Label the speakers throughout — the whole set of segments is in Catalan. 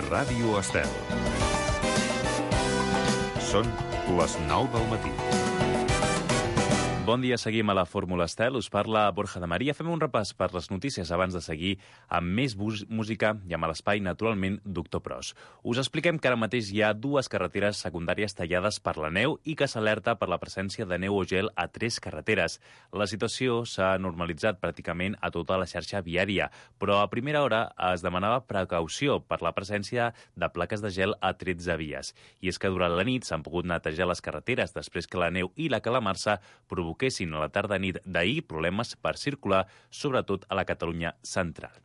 Speaker 1: Ràdio Estel. Són les 9 del matí.
Speaker 2: Bon dia, seguim a la Fórmula Estel. Us parla Borja de Maria. Fem un repàs per les notícies abans de seguir amb més música i amb l'espai, naturalment, Doctor Pros. Us expliquem que ara mateix hi ha dues carreteres secundàries tallades per la neu i que s'alerta per la presència de neu o gel a 3 carreteres. La situació s'ha normalitzat pràcticament a tota la xarxa viària, però a primera hora es demanava precaució per la presència de plaques de gel a 13 vies. I és que durant la nit s'han pogut netejar les carreteres després que la neu i la calamarsa provoquessin a la tarda-nit d'ahir problemes per circular, sobretot a la Catalunya central.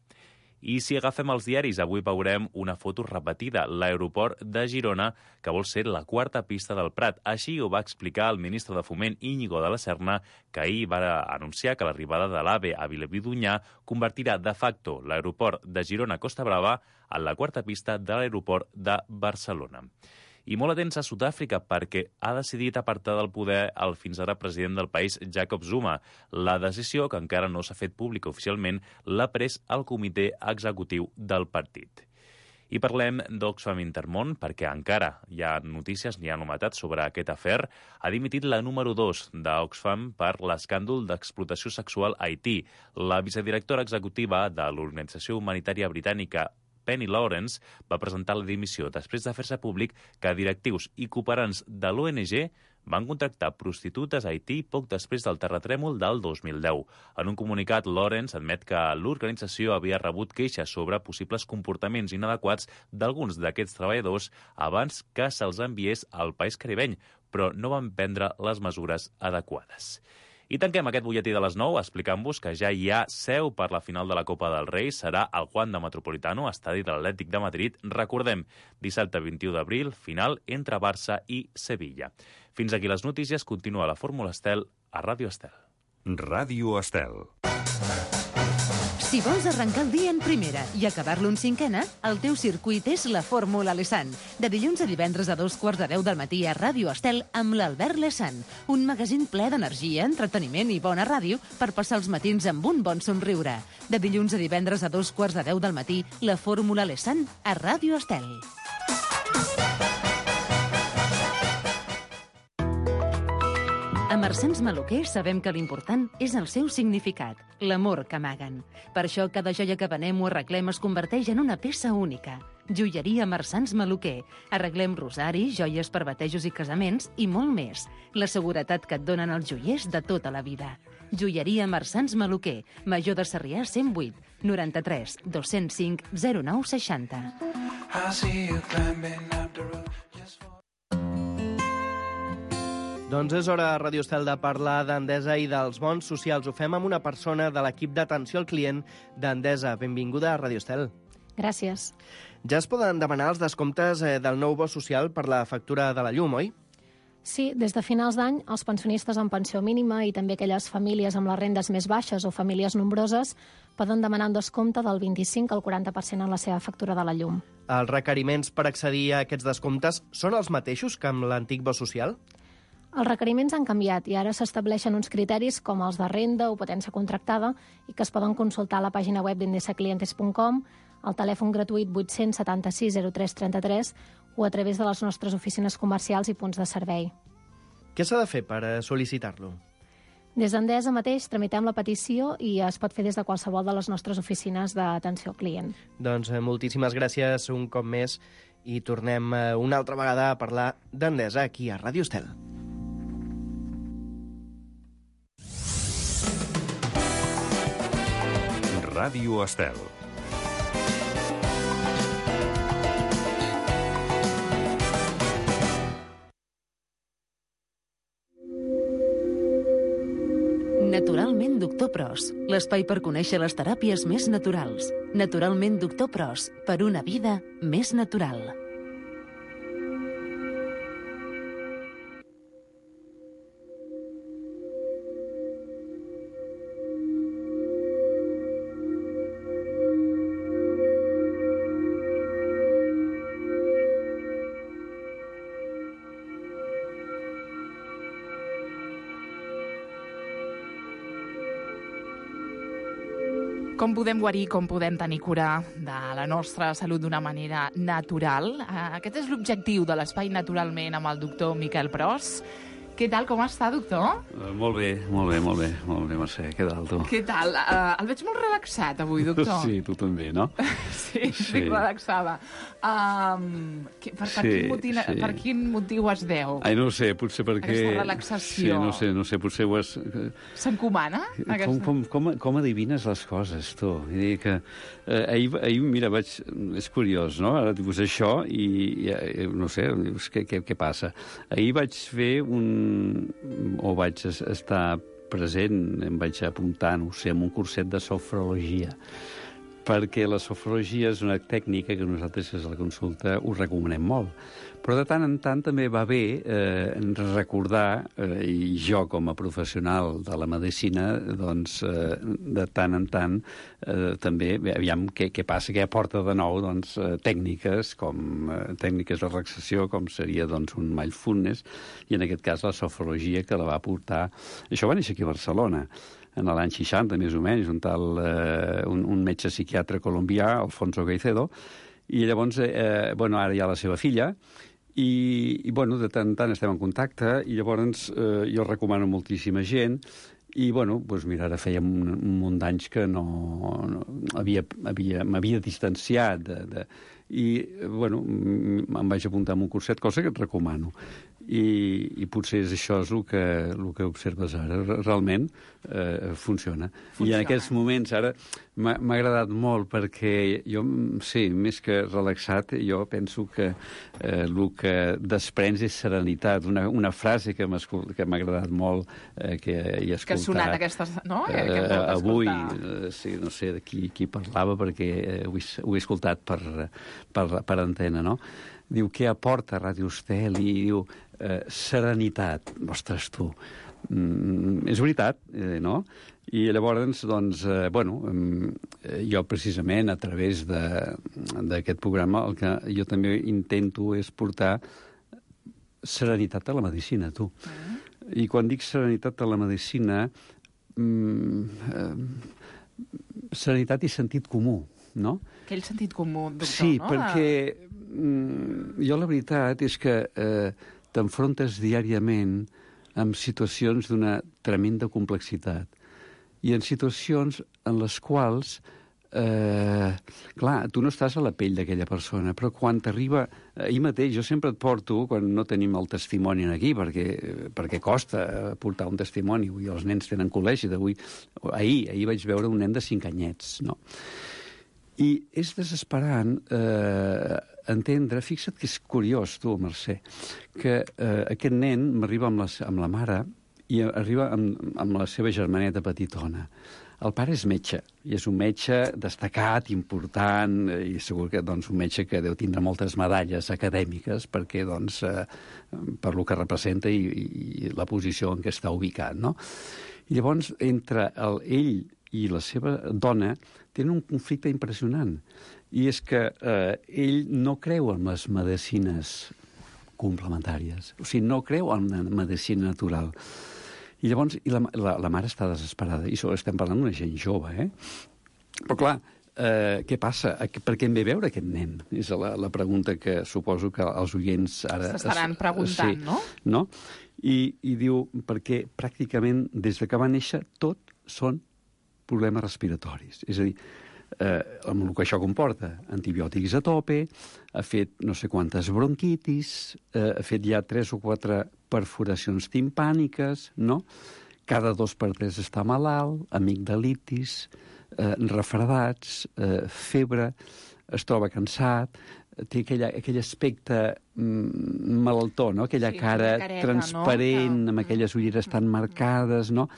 Speaker 2: I si agafem els diaris, avui veurem una foto repetida, l'aeroport de Girona, que vol ser la quarta pista del Prat. Així ho va explicar el ministre de Foment, Íñigo de la Serna, que ahir va anunciar que l'arribada de l'AVE a Vilobí d'Onyar convertirà de facto l'aeroport de Girona-Costa Brava en la quarta pista de l'aeroport de Barcelona. I molt atents a Sud-àfrica perquè ha decidit apartar del poder el fins ara president del país, Jacob Zuma. La decisió, que encara no s'ha fet pública oficialment, l'ha pres el comitè executiu del partit. I parlem d'Oxfam Intermón perquè encara hi ha notícies, hi ha novetats sobre aquest afer. Ha dimitit la número 2 d'Oxfam per l'escàndol d'explotació sexual a Haití. La vicedirectora executiva de l'organització humanitària britànica Penny Lawrence va presentar la dimissió després de fer-se públic que directius i cooperants de l'ONG van contractar prostitutes a Haití poc després del terratrèmol del 2010. En un comunicat, Lawrence admet que l'organització havia rebut queixes sobre possibles comportaments inadequats d'alguns d'aquests treballadors abans que se'ls enviés al país caribeny, però no van prendre les mesures adequades. I tanquem aquest butlletí de les 9 explicant-vos que ja hi ha seu per la final de la Copa del Rei. Serà al Wanda Metropolitano, estadi de l'Atlètic de Madrid. Recordem, dissabte 21 d'abril, final entre Barça i Sevilla. Fins aquí les notícies. Continua la Fórmula Estel a Ràdio Estel.
Speaker 1: Ràdio Estel.
Speaker 3: Si vols arrencar el dia en primera i acabar-lo en cinquena, el teu circuit és la Fórmula Lesan. De dilluns a divendres a 2:15 del matí a Ràdio Estel amb l'Albert Lesan. Un magazín ple d'energia, entreteniment i bona ràdio per passar els matins amb un bon somriure. De dilluns a divendres a 2:15 del matí, la Fórmula Lesan a Ràdio Estel. A Marsans Maluquer sabem que l'important és el seu significat, l'amor que amaguen. Per això cada joia que venem o arreglem es converteix en una peça única. Joieria Marsans Maluquer. Arreglem rosaris, joies per batejos i casaments i molt més. La seguretat que et donen els joiers de tota la vida. Joieria Marsans Maluquer. Major de Sarrià 108 93 205 09 60.
Speaker 4: Doncs és hora a Ràdio Estel de parlar d'Endesa i dels bons socials. Ho fem amb una persona de l'equip d'atenció al client d'Endesa. Benvinguda a Ràdio Estel.
Speaker 5: Gràcies.
Speaker 4: Ja es poden demanar els descomptes del nou bo social per la factura de la llum, oi?
Speaker 5: Sí, des de finals d'any, els pensionistes amb pensió mínima i també aquelles famílies amb les rendes més baixes o famílies nombroses poden demanar un descompte del 25 al 40% en la seva factura de la llum.
Speaker 4: Els requeriments per accedir a aquests descomptes són els mateixos que amb l'antic bo social?
Speaker 5: Els requeriments han canviat i ara s'estableixen uns criteris com els de renda o potència contractada i que es poden consultar a la pàgina web d'indesaclientes.com, al telèfon gratuït 876 03 33 o a través de les nostres oficines comercials i punts de servei.
Speaker 4: Què s'ha de fer per sol·licitar-lo?
Speaker 5: Des d'Endesa mateix tramitem la petició i es pot fer des de qualsevol de les nostres oficines d'atenció al client.
Speaker 4: Doncs moltíssimes gràcies un cop més i tornem una altra vegada a parlar d'Endesa aquí a Ràdio Estel.
Speaker 1: Ràdio Estel.
Speaker 3: Naturalment Doctor Pros, l'espai per conèixer les teràpies més naturals. Naturalment Doctor Pros, per una vida més natural.
Speaker 6: Com podem guarir, com podem tenir cura de la nostra salut d'una manera natural? Aquest és l'objectiu de l'Espai Naturalment amb el doctor Miquel Pros. Què tal, com està, doctor?
Speaker 7: Molt bé, Mercè. Què tal, tu?
Speaker 6: Què tal? El veig molt relaxat avui, doctor.
Speaker 7: Sí, tu també, no?
Speaker 6: Sí, estic relaxada. Per quin motiu es deu?
Speaker 7: Ai, no ho sé, potser perquè...
Speaker 6: Aquesta relaxació.
Speaker 7: Sí, no sé, potser ho has...
Speaker 6: S'encomana?
Speaker 7: Com adivines les coses, tu? Vull dir que ahir, mira, és curiós, no? Ara dius això i no sé, dius, què passa? Ahir vaig fer vaig estar present, em vaig apuntar, no sé, en un curset de sofrologia, perquè la sofrologia és una tècnica que nosaltres, des de la consulta, us recomanem molt. Però de tant en tant també va bé recordar, i jo com a professional de la medicina, doncs, de tant en tant, també, aviam què passa, què aporta de nou, doncs, tècniques de relaxació, com seria, doncs, un mindfulness, i en aquest cas la sofrologia que la va portar... Això va néixer aquí a Barcelona, en l'any 60, més o menys, un metge psiquiatre colombià, Alfonso Caicedo, i llavors, ara hi ha la seva filla, i de tant en tant estem en contacte, i llavors jo recomano moltíssima gent, i, mira, ara feia un munt d'anys que m'havia distanciat i, em vaig apuntar a un curset, cosa que et recomano. I potser això és el que observes ara. Realment funciona. I en aquests moments ara m'ha agradat molt perquè jo, sí, més que relaxat, jo penso que el que desprens és serenitat. Una frase que m'ha agradat molt, que he escoltat.
Speaker 6: Que ha sonat aquestes, no?
Speaker 7: Avui, sí, no sé de qui parlava, perquè ho he escoltat per antena, no? Diu, què aporta Ràdio Estel? I diu, serenitat. Ostres, tu. És veritat, no? I llavors, doncs, jo precisament a través d'aquest programa el que jo també intento és portar serenitat a la medicina, tu. I quan dic serenitat a la medicina, serenitat i sentit comú, no?
Speaker 6: Aquell sentit comú, doctor,
Speaker 7: sí,
Speaker 6: no?
Speaker 7: Sí, perquè jo la veritat és que t'enfrontes diàriament amb situacions d'una tremenda complexitat i en situacions en les quals, clar, tu no estàs a la pell d'aquella persona, però quan t'arriba... Ahir mateix, jo sempre et porto, quan no tenim el testimoni aquí, perquè costa portar un testimoni, avui els nens tenen col·legi, ahir vaig veure un nen de 5 anyets, no? I és desesperant entendre, fixa't que és curiós, tu, Mercè, que aquest nen m'arriba amb la mare i arriba amb la seva germaneta petitona. El pare és metge, i és un metge destacat, important, i segur que un metge que deu tindre moltes medalles acadèmiques perquè, per lo que representa i la posició en què està ubicat, no? I llavors, entre ell i la seva dona tenen un conflicte impressionant. I és que ell no creu en les medicines complementàries. O sigui, no creu en la medicina natural. I llavors la mare està desesperada. I estem parlant d'una gent jove, Però, clar, què passa? Per què em ve veure aquest nen? És la pregunta que suposo que els oients ara...
Speaker 6: S'estaran preguntant,
Speaker 7: sí,
Speaker 6: no?
Speaker 7: No? I diu, perquè pràcticament des que va néixer tot són problemes respiratoris. És a dir, amb el que això comporta, antibiòtics a tope, ha fet no sé quantes bronquitis, ha fet ja 3 o 4 perforacions timpàniques, no? Cada 2 per 3 està malalt, amigdalitis, refredats, febre, es troba cansat, té aquell aspecte malaltó, no? Aquella cara transparent, amb aquelles ulleres tan marcades, no?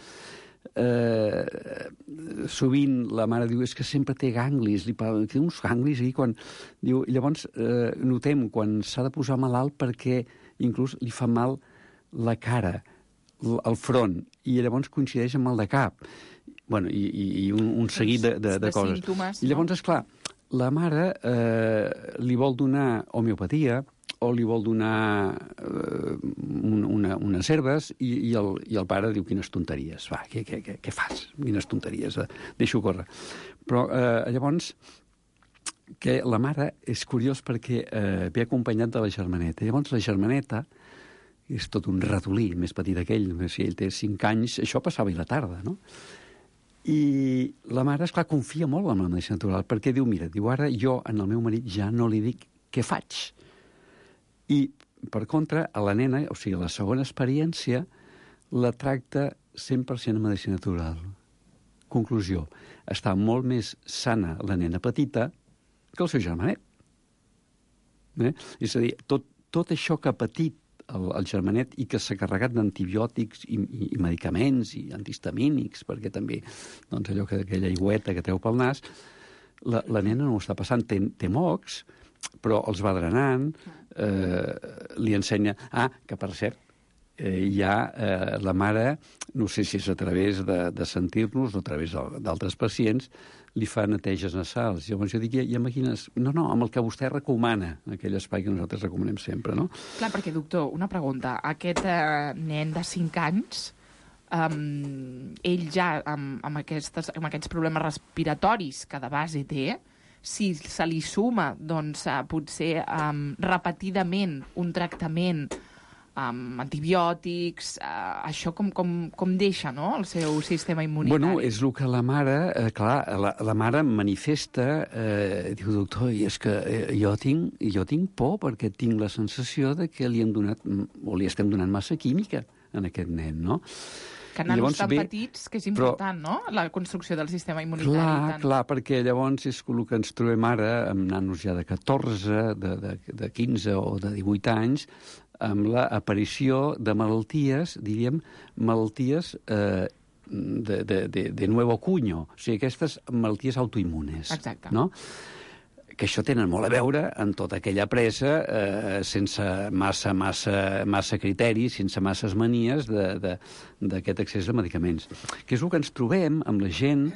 Speaker 7: Sovint la mare diu és que sempre té ganglis, té uns ganglis aquí quan... Diu, llavors notem quan s'ha de posar malalt perquè inclús li fa mal la cara, el front, i llavors coincideix amb el de cap. Bueno, i un seguit de coses.
Speaker 6: Símptomes,
Speaker 7: I llavors, esclar, la mare li vol donar homeopatia o li vol donar unes herbes i el pare diu quines tonteries. Va, què fas? Quines tonteries, deixo córrer. Però llavors, que la mare és curiós perquè ve acompanyat de la germaneta. Llavors la germaneta és tot un ratolí, més petit que ell. Si ell té 5 anys, això passava a la tarda, no? I la mare, esclar, confia molt en la medicina natural, perquè diu, mira, ara jo al meu marit ja no li dic què faig. I, per contra, a la nena, o sigui, la segona experiència, la tracta 100% en medicina natural. Conclusió, està molt més sana la nena petita que el seu germanet. És a dir, tot això que ha patit el germanet i que s'ha carregat d'antibiòtics i medicaments i antihistamínics, perquè també, doncs, allò que aquella aigüeta que treu pel nas, la nena no ho està passant, té mocs, però els va drenant, li ensenya... que per cert, la mare, no sé si és a través de sentir-nos o a través d'altres pacients, li fa neteges nasals. Llavors jo dic, ja imagines... No, amb el que vostè recomana, aquell espai que nosaltres recomanem sempre, no?
Speaker 6: Clar, perquè, doctor, una pregunta. Aquest nen de 5 anys, ell ja, amb aquests problemes respiratoris que de base té, si se li suma, doncs, potser repetidament un tractament amb antibiòtics, això com deixa, no?, el seu sistema immunitari.
Speaker 7: Bueno, és el que la mare, clar, la mare manifesta, diu, doctor, i és que jo tinc por perquè tinc la sensació de que li hem donat, o li estem donant massa química en aquest nen, no?
Speaker 6: Que nanos tan petits, que és important, no?, la construcció del sistema immunitari.
Speaker 7: Clar, perquè llavors és el que ens trobem ara amb nanos ja de 14, de 15 o de 18 anys, amb l'aparició de malalties, diríem, malalties de nuevo cuño, o sigui, aquestes malalties autoimmunes.
Speaker 6: Exacte.
Speaker 7: No? Que això tenen molt a veure amb tota aquella presa sense massa criteris, sense masses manies d'aquest accés a medicaments. Que és el que ens trobem amb la gent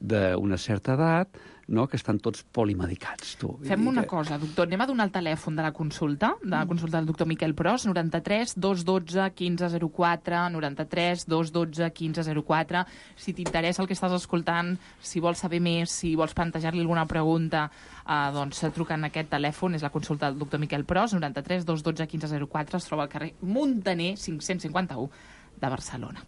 Speaker 7: d'una certa edat, no?, que estan tots polimedicats.
Speaker 6: Fem una cosa, doctor, anem a donar el telèfon de la consulta del doctor Miquel Pros, 93 212 1504, 93 212 1504. Si t'interessa el que estàs escoltant, si vols saber més, si vols plantejar-li alguna pregunta, doncs truca en aquest telèfon, és la consulta del doctor Miquel Pros, 93 212 1504, es troba al carrer Muntaner 551 de Barcelona.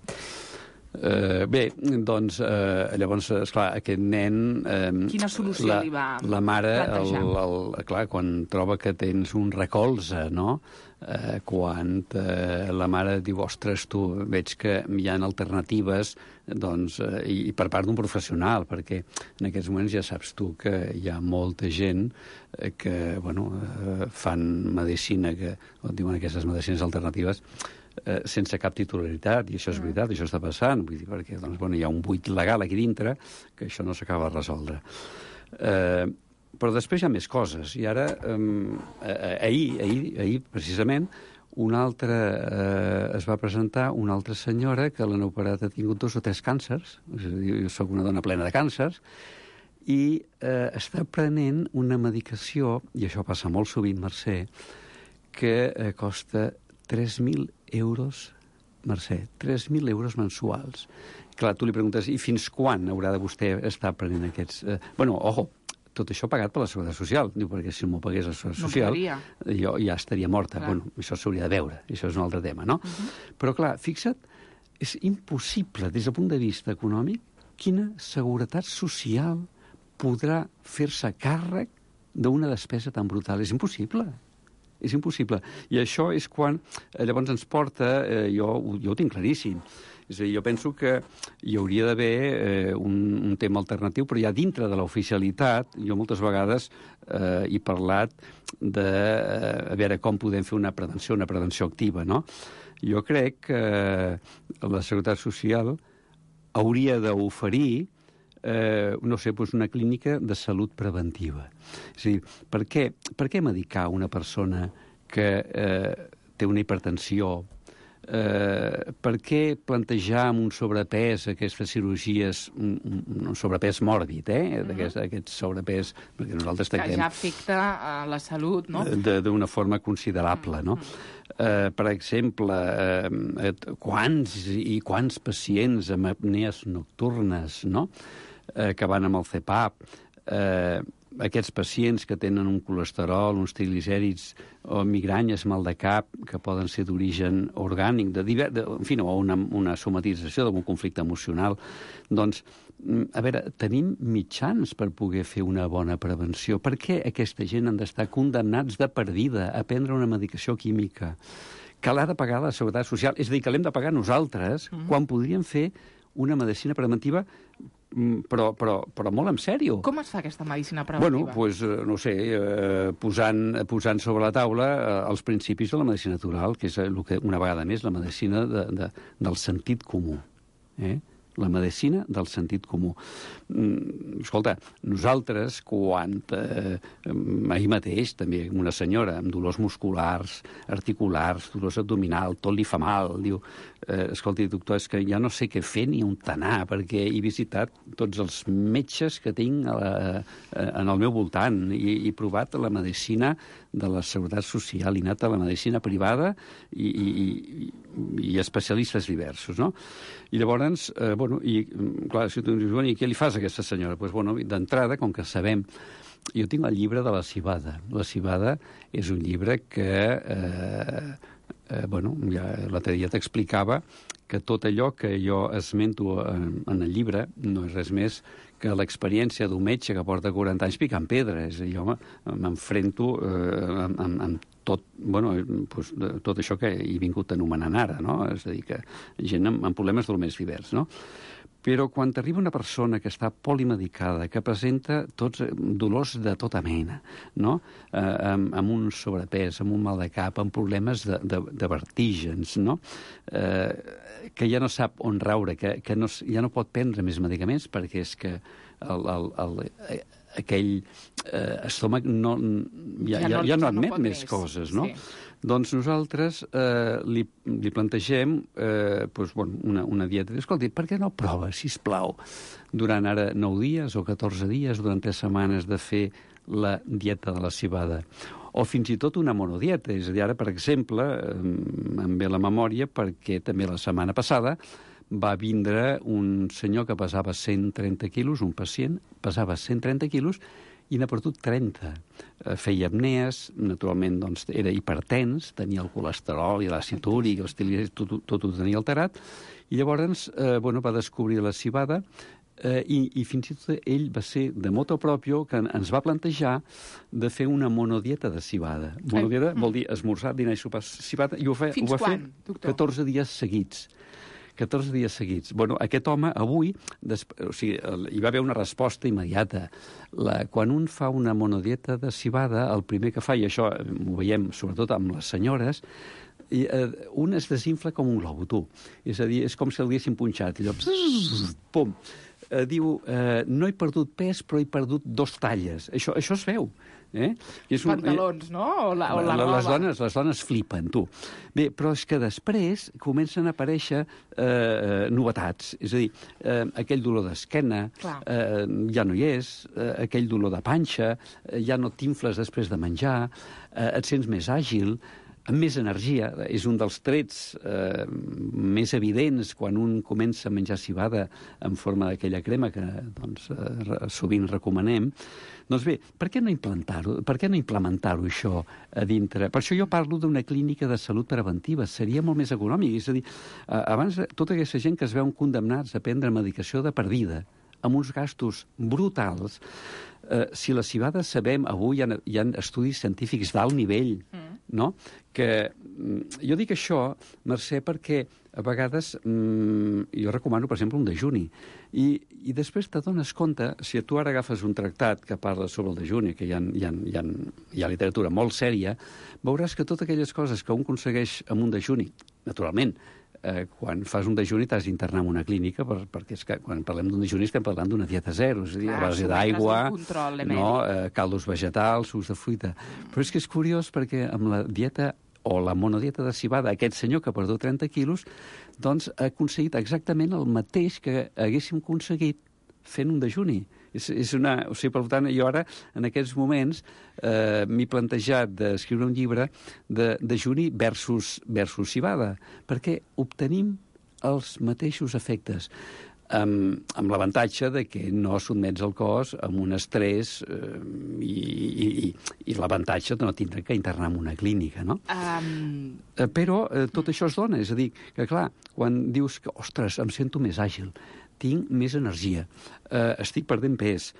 Speaker 7: Bé, doncs, llavors, esclar, aquest nen...
Speaker 6: Quina solució li va
Speaker 7: la mare,
Speaker 6: plantejar?
Speaker 7: clar, quan troba que tens un recolze, no?, quan la mare diu, ostres, tu, veig que hi ha alternatives, doncs, i per part d'un professional, perquè en aquests moments ja saps tu que hi ha molta gent que, bueno, fan medicina, que diuen aquestes medicines alternatives, sense cap titularitat, i això és veritat, això està passant, vull dir, perquè doncs, bueno, hi ha un buit legal aquí dintre que això no s'acaba de resoldre. Però després hi ha més coses, i ara, ahir precisament, es va presentar una altra senyora que l'han operat, ha tingut 2 o 3 càncers, és a dir, jo soc una dona plena de càncers, i està prenent una medicació, i això passa molt sovint, Mercè, que costa 3.000 euros, Mercè, 3.000 euros mensuals. Clar, tu li preguntes, i fins quan haurà de vostè estar prenent aquests... Bueno, ojo, tot això pagat per la Seguretat Social. Diu, perquè si m'ho pagués la Seguretat Social, jo ja estaria morta. Clar. Bueno, això s'hauria de veure, això és un altre tema, no? Però, clar, fixa't, és impossible, des del punt de vista econòmic, quina seguretat social podrà fer-se càrrec d'una despesa tan brutal. És impossible. És impossible. I això és quan llavors ens porta, jo ho tinc claríssim, és a dir, jo penso que hi hauria d'haver un tema alternatiu, però ja dintre de l'oficialitat, jo moltes vegades he parlat de a veure com podem fer una prevenció activa, no? Jo crec que la Seguretat Social hauria d'oferir no sé, doncs una clínica de salut preventiva. És a dir, per què medicar una persona que té una hipertensió Per què plantejar amb un sobrepès aquestes cirurgies, un sobrepès mòrbid, aquest sobrepès, perquè nosaltres
Speaker 6: que
Speaker 7: tractem...
Speaker 6: ja afecta a la salut, no?
Speaker 7: D'una forma considerable, no? Per exemple, quants pacients amb apnees nocturnes, no?, que van amb el CPAP, aquests pacients que tenen un colesterol, uns triglicèrids o migranyes, mal de cap, que poden ser d'origen orgànic, en fi, o una somatització d'algun conflicte emocional. Doncs, a veure, tenim mitjans per poder fer una bona prevenció. Per què aquesta gent han d'estar condemnats de per vida a prendre una medicació química que l'ha de pagar la Seguretat Social? És a dir, que l'hem de pagar nosaltres, quan podríem fer una medicina preventiva però molt en sèrio.
Speaker 6: Com es fa aquesta medicina preventiva?
Speaker 7: Bueno, doncs, no sé, posant sobre la taula els principis de la medicina natural, que és el que, una vegada més, la medicina del sentit comú. La medicina del sentit comú. Escolta, nosaltres, quan ahir mateix, també una senyora amb dolors musculars, articulars, dolors abdominal, tot li fa mal, diu, escolti, doctor, és que ja no sé què fer ni on anar, perquè he visitat tots els metges que tinc en el meu voltant i he provat la medicina de la Seguretat Social, he anat a la medicina privada i especialistes diversos, no? I llavors, clar, si tu dius, i què li fas a aquesta senyora? Doncs, d'entrada, com que sabem... Jo tinc el llibre de la civada. La civada és un llibre que, ja l'altre dia t'explicava que tot allò que jo esmento en el llibre no és res més que l'experiència d'un metge que porta 40 anys picant pedra. És a dir, jo m'enfrento amb tot això que he vingut anomenant ara, no? És a dir, que gent amb problemes del més divers, no? Però quan t'arriba una persona que està polimedicada, que presenta tots dolors de tota mena, no? Amb un sobrepès, amb un mal de cap, amb problemes de vertígens, no? Que ja no sap on raure, que ja no pot prendre més medicaments perquè és que aquell estómac ja no admet més coses, no? Sí. Doncs nosaltres li plantegem una dieta. Escolti, per què no prova, sisplau, durant ara 9 dies o 14 dies, durant 3 setmanes, de fer la dieta de la civada? O fins i tot una monodieta. És a dir, ara, per exemple, em ve la memòria perquè també la setmana passada va vindre un senyor que pesava 130 quilos, un pacient, pesava 130 quilos, i n'ha perdut 30. Feia apnees, naturalment doncs, era hipertens, tenia el colesterol i l'àcid úric, els triglicèrids, tot ho tenia alterat, i llavors va descobrir la civada i fins i tot ell va ser de motu proprio que ens va plantejar de fer una monodieta de civada. Monodieta vol dir esmorzar, dinar i sopar civada, i ho va fer 14 dies seguits. 14 dies seguits. Aquest home, avui, hi va haver una resposta immediata. Quan un fa una monodieta de civada, el primer que fa, i això ho veiem sobretot amb les senyores, un es desinfla com un globus, tu. És a dir, és com si el haguessin punxat. Allò, pum. Diu, no he perdut pes, però he perdut 2 talles. Això es veu.
Speaker 6: Pantalons, no? O la roba.
Speaker 7: Les dones flipen, tu. Bé, però és que després comencen a aparèixer novetats. És a dir, aquell dolor d'esquena ja no hi és, aquell dolor de panxa, ja no t'infles després de menjar, et sents més àgil, amb més energia. És un dels trets més evidents quan un comença a menjar civada en forma d'aquella crema que sovint recomanem. Doncs bé, per què no implementar-ho? Per què no implementar-ho, això, a dintre? Per això jo parlo d'una clínica de salut preventiva. Seria molt més econòmic. És a dir, abans, tota aquesta gent que es veuen condemnats a prendre medicació de per vida, amb uns gastos brutals, si la civada sabem, avui hi ha estudis científics d'alt nivell, no? Que jo dic això, Mercè, perquè a vegades jo recomano, per exemple, un dejuni. I després t'adones compte, si tu ara agafes un tractat que parla sobre el dejuni, que hi ha literatura molt sèria, veuràs que totes aquelles coses que un aconsegueix amb un dejuni, naturalment, quan fas un dejuni t'has d'internar en una clínica, perquè és que quan parlem d'un dejuni estem parlant d'una dieta zero, és a dir, a base d'aigua, caldos vegetals, sucs de fruita. Però és que és curiós perquè amb la dieta o la monodieta de civada, aquest senyor que ha perdut 30 quilos, doncs ha aconseguit exactament el mateix que haguéssim aconseguit fent un dejuni. O sigui, per tant, jo ara, en aquests moments, m'he plantejat d'escriure un llibre de dejuni versus civada, perquè obtenim els mateixos efectes, amb l'avantatge de que no sotmets el cos a un estrès i l'avantatge de no tindre que internar en una clínica, no? Però tot això es dona, és a dir, que clar, quan dius que, ostres, em sento més àgil, tinc més energia, estic perdent pes,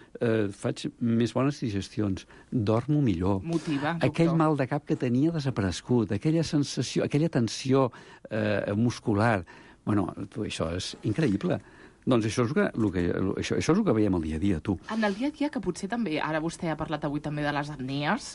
Speaker 7: faig més bones digestions, dormo millor.
Speaker 6: Motiva, doctor.
Speaker 7: Aquell mal de cap que tenia desaparegut, aquella sensació, aquella tensió muscular, bueno, això és increïble. Doncs això és el que veiem al dia a dia, tu.
Speaker 6: En el dia a dia, que potser també, ara vostè ha parlat avui també de les apnees,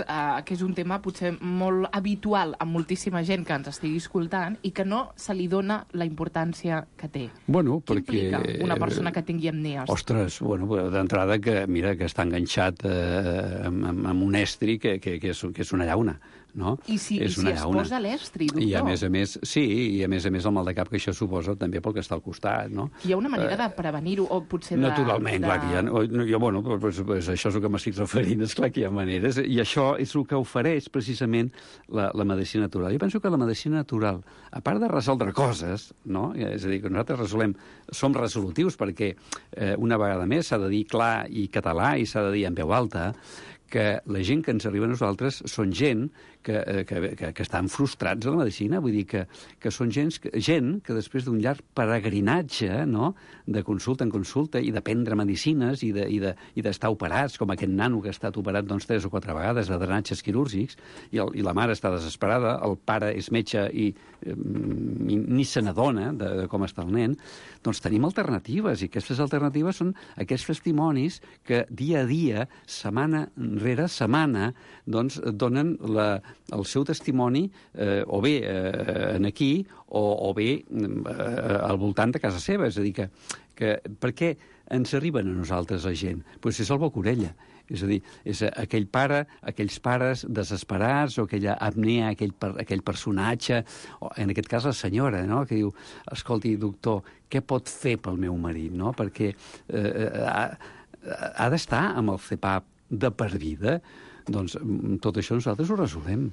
Speaker 6: que és un tema potser molt habitual a moltíssima gent que ens estigui escoltant i que no se li dona la importància que té.
Speaker 7: Bueno,
Speaker 6: Què
Speaker 7: perquè...
Speaker 6: implica una persona que tingui apnees?
Speaker 7: Ostres, bueno, d'entrada que, mira, que està enganxat amb un estri que és una llauna, no?
Speaker 6: I si es posa l'estri, doctor?
Speaker 7: I a més a més, sí, i a més el mal de cap que això suposa també pel que està al costat, no?
Speaker 6: Hi ha una manera de prevenir-ho o potser de...
Speaker 7: Naturalment, clar que hi ha... bueno, pues això és el que m'estic referint, és clar que hi ha maneres, i això és el que ofereix precisament la medicina natural. Jo penso que la medicina natural, a part de resoldre coses, no? És a dir, que nosaltres som resolutius perquè una vegada més s'ha de dir clar i català i s'ha de dir en veu alta, que la gent que ens arriba a nosaltres són gent que estan frustrats a la medicina, vull dir que són gent que després d'un llarg peregrinatge, no?, de consulta en consulta i de prendre medicines i d'estar operats, com aquest nano que ha estat operat 3 o 4 vegades de drenatges quirúrgics, i la mare està desesperada, el pare és metge i ni se n'adona de com està el nen, doncs tenim alternatives, i aquestes alternatives són aquests testimonis que dia a dia, setmana rere setmana, doncs donen el seu testimoni o bé aquí o bé al voltant de casa seva. És a dir, que per què ens arriben a nosaltres la gent? Doncs és el boca orella. És a dir, és aquells pares desesperats, o aquella apnea, aquell personatge, o en aquest cas la senyora, no?, que diu, escolti, doctor, què pot fer pel meu marit, no?, perquè ha d'estar amb el CPAP de per vida. Doncs tot això nosaltres ho resolem.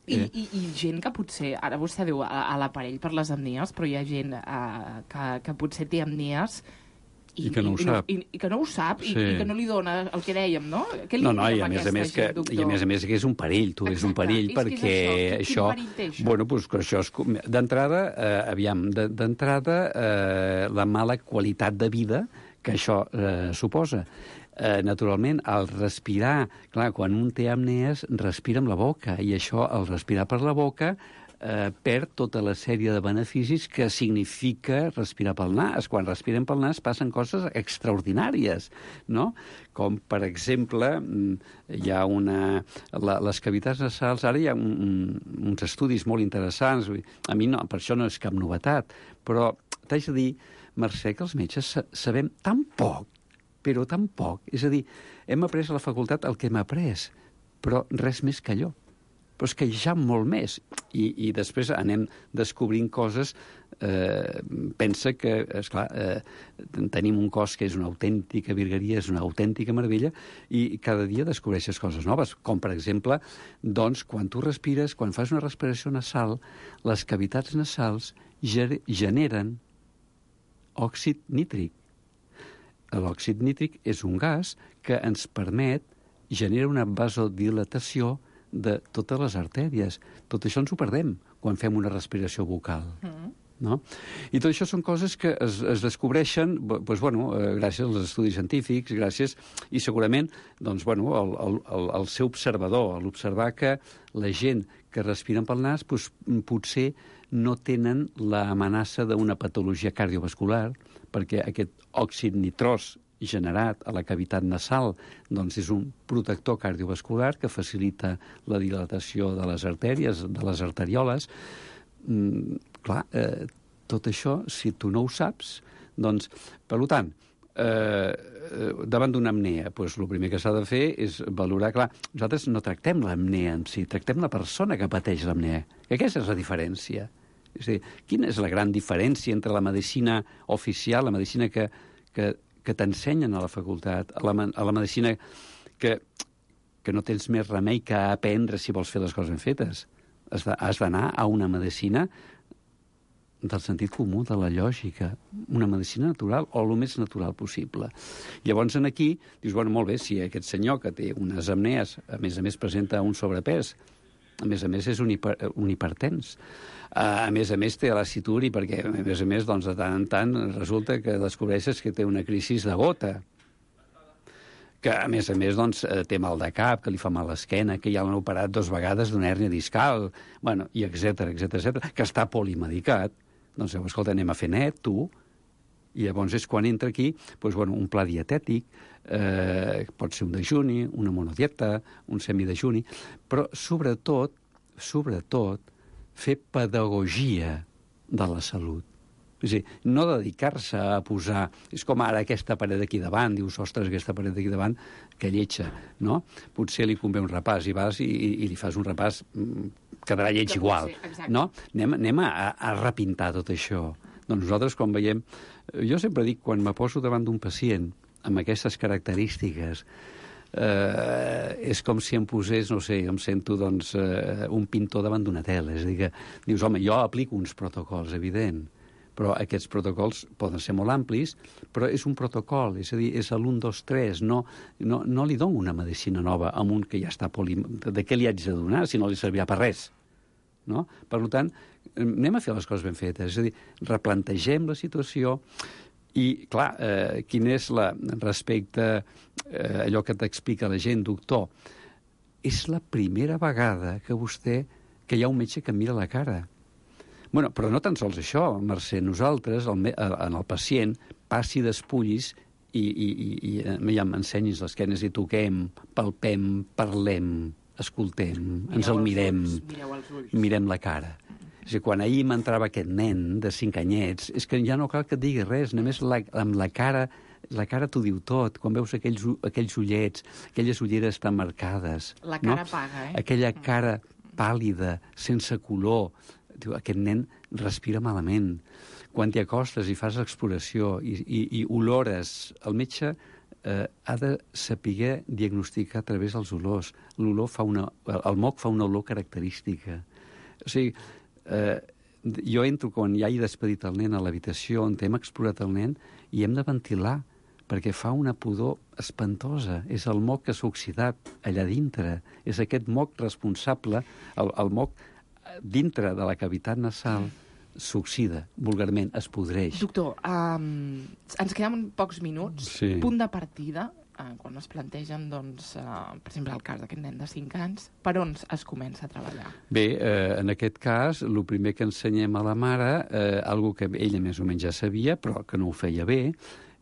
Speaker 6: I gent que potser, ara vostè diu a l'aparell per les apnees, però hi ha gent que potser té apnees
Speaker 7: i que no ho sap.
Speaker 6: I que no ho sap, sí. I que no li dona el que dèiem, no? Què li
Speaker 7: i a més a més que és un perill, tu. Exacte. És un perill perquè això...
Speaker 6: Quin perill té això?
Speaker 7: Bueno, doncs que això és... D'entrada, la mala qualitat de vida que això suposa. Naturalment, al respirar, clar, quan un té apnees, respira amb la boca, i això, al respirar per la boca, perd tota la sèrie de beneficis que significa respirar pel nas. Quan respirem pel nas passen coses extraordinàries, no? Com, per exemple, hi ha les cavitats nasals, ara hi ha uns estudis molt interessants, a mi no, per això no és cap novetat, però t'haig de dir, Mercè, que els metges sabem tan poc, però tan poc. És a dir, hem après a la facultat el que hem après, però res més que allò. Però és que hi ha molt més. I després anem descobrint coses. Pensa que, esclar, tenim un cos que és una autèntica virgueria, és una autèntica meravella, i cada dia descobreixes coses noves. Com, per exemple, doncs, quan tu respires, quan fas una respiració nasal, les cavitats nasals generen òxid nítric. L'òxid nítric és un gas que ens permet generar una vasodilatació de totes les artèries. Tot això ens ho perdem quan fem una respiració bucal. No? I tot això són coses que es descobreixen doncs, gràcies als estudis científics, i segurament doncs, el ser observador, l'observar que la gent que respiren pel nas doncs, potser no tenen l'amenaça d'una patologia cardiovascular, perquè aquest òxid nitrós generat a la cavitat nasal doncs és un protector cardiovascular que facilita la dilatació de les artèries, de les arterioles. Tot això, si tu no ho saps, doncs, per tant, davant d'una apnea, doncs el primer que s'ha de fer és valorar, clar, nosaltres no tractem l'apnea en si, tractem la persona que pateix l'apnea. Aquesta és la diferència. És a dir, quina és la gran diferència entre la medicina oficial, la medicina que t'ensenyen a la facultat, a la medicina que no tens més remei que aprendre si vols fer les coses ben fetes? Has d'anar a una medicina del sentit comú, de la lògica, una medicina natural o el més natural possible. Llavors, aquí, dius, bueno, molt bé, si aquest senyor que té unes apnees, a més presenta un sobrepès, a més és un hipertens, a més té lassituri, perquè, a més, doncs, de tant en tant resulta que descobreixes que té una crisi de gota, que, a més, doncs, té mal de cap, que li fa mal l'esquena, que ja l'han operat 2 vegades d'una hèrnia discal, bueno, i etcètera, que està polimedicat. Doncs, escolta, anem a fer net, tu, i llavors és quan entra aquí doncs, bueno, un pla dietètic, pot ser un dejuni, una monodieta, un semidejuni, però sobretot, fer pedagogia de la salut. És a dir, no dedicar-se a posar... És com ara aquesta paret d'aquí davant, dius, ostres, aquesta paret d'aquí davant, que lletja, no? Potser li convé un repàs, i vas i li fas un repàs, quedarà lleig igual, no? Anem a repintar tot això. Doncs nosaltres, quan veiem... Jo sempre dic, quan me poso davant d'un pacient amb aquestes característiques, és com si em posés, no sé, em sento, doncs, un pintor davant d'una tela. És a dir, que dius, home, jo aplico uns protocols, evident, però aquests protocols poden ser molt amplis, però és un protocol, és a dir, és l'1, 2, 3, no li dono una medicina nova a un que ja està de què li haig de donar si no li servirà per res, no? Per tant, anem a fer les coses ben fetes, és a dir, replantegem la situació i, clar, quin és respecte a allò que t'explica la gent, doctor, és la primera vegada que hi ha un metge que em mira la cara. Bueno, però no tan sols això, Mercè, nosaltres, en el pacient, passi despullis i m'ensenyis l'esquena i toquem, palpem, parlem, escoltem, ens el mirem, mirem la cara. És a dir, quan ahir m'entrava aquest nen de 5 anyets, és que ja no cal que et digui res, només amb la cara t'ho diu tot, quan veus aquells ullets, aquelles ulleres tan marcades.
Speaker 6: La cara paga,
Speaker 7: Aquella cara pàl·lida, sense color. Diu, aquest nen respira malament. Quan t'hi acostes i fas l'exploració i olores, el metge ha de saber diagnosticar a través dels olors. El moc fa una olor característica. O sigui, jo entro quan ja he despedit el nen a l'habitació on hem explorat el nen i hem de ventilar perquè fa una pudor espantosa. És el moc que s'ha oxidat allà dintre. És aquest moc responsable, el moc dintre de la cavitat nasal s'oxida, vulgarment, es podreix.
Speaker 6: Doctor, ens queden pocs minuts.
Speaker 7: Sí.
Speaker 6: Punt de partida, quan es plantegen, doncs, per exemple, el cas d'aquest nen de 5 anys, per on es comença a treballar?
Speaker 7: Bé, en aquest cas, el primer que ensenyem a la mare, algo que ella més o menys ja sabia, però que no ho feia bé,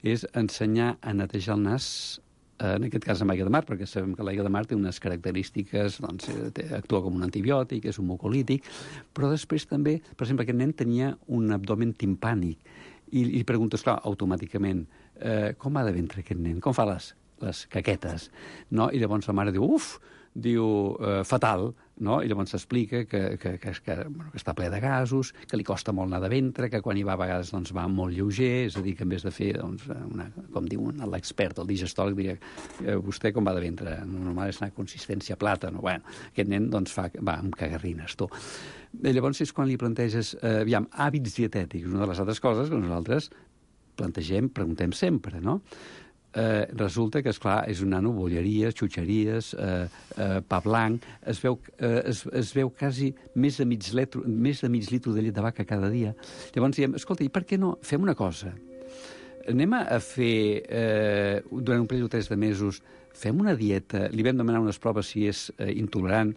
Speaker 7: és ensenyar a netejar el nas, en aquest cas amb aigua de mar, perquè sabem que l'aigua de mar té unes característiques, doncs, actua com un antibiòtic, és un mucolític, però després també, per exemple, aquest nen tenia un abdomen timpànic, i li preguntes, clar, automàticament, com ha de ventre aquest nen? Com fa les caquetes? No? I llavors la mare diu, fatal, no? I llavors s'explica que està ple de gasos, que li costa molt anar de ventre, que quan hi va a vegades doncs, va molt lleuger, és a dir, que en vez de fer, doncs, com diu l'expert, el digestòleg, diria, vostè com va de ventre? Normal és una consistència plàtano. Bueno, aquest nen doncs, va amb cagarrines, tu. I llavors és quan li planteges, hàbits dietètics, una de les altres coses que nosaltres preguntem sempre, no? Resulta que, esclar, és un nano, bolleries, xutxeries, pa blanc, es veu quasi més de mig litro de llet de vaca cada dia. Llavors diem, escolta, i per què no fem una cosa? Anem a fer, durant un període de 3 mesos, fem una dieta, li vam demanar unes proves si és intolerant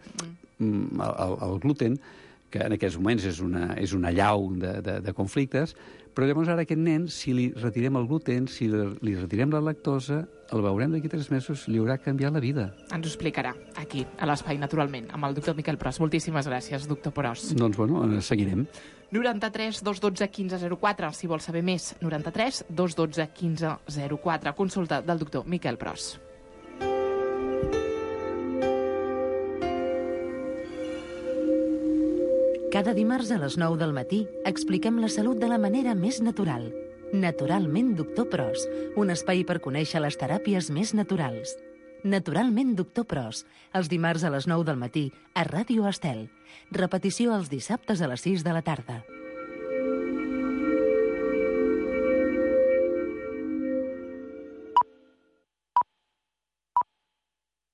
Speaker 7: al gluten, que en aquests moments és una llau de conflictes, però llavors ara aquest nen, si li retirem el gluten, si li retirem la lactosa, el veurem d'aquí 3 mesos, li haurà canviat la vida.
Speaker 6: Ens ho explicarà aquí, a l'Espai Naturalment, amb el doctor Miquel Pros. Moltíssimes gràcies, doctor Pros.
Speaker 7: Doncs, seguirem.
Speaker 6: 93 212 1504, si vols saber més. 93 212 1504. Consulta del doctor Miquel Pros.
Speaker 3: Cada dimarts a les 9 del matí expliquem la salut de la manera més natural. Naturalment Doctor Pros, un espai per conèixer les teràpies més naturals. Naturalment Doctor Pros, els dimarts a les 9 del matí a Ràdio Estel. Repetició els dissabtes a les 6 de la tarda.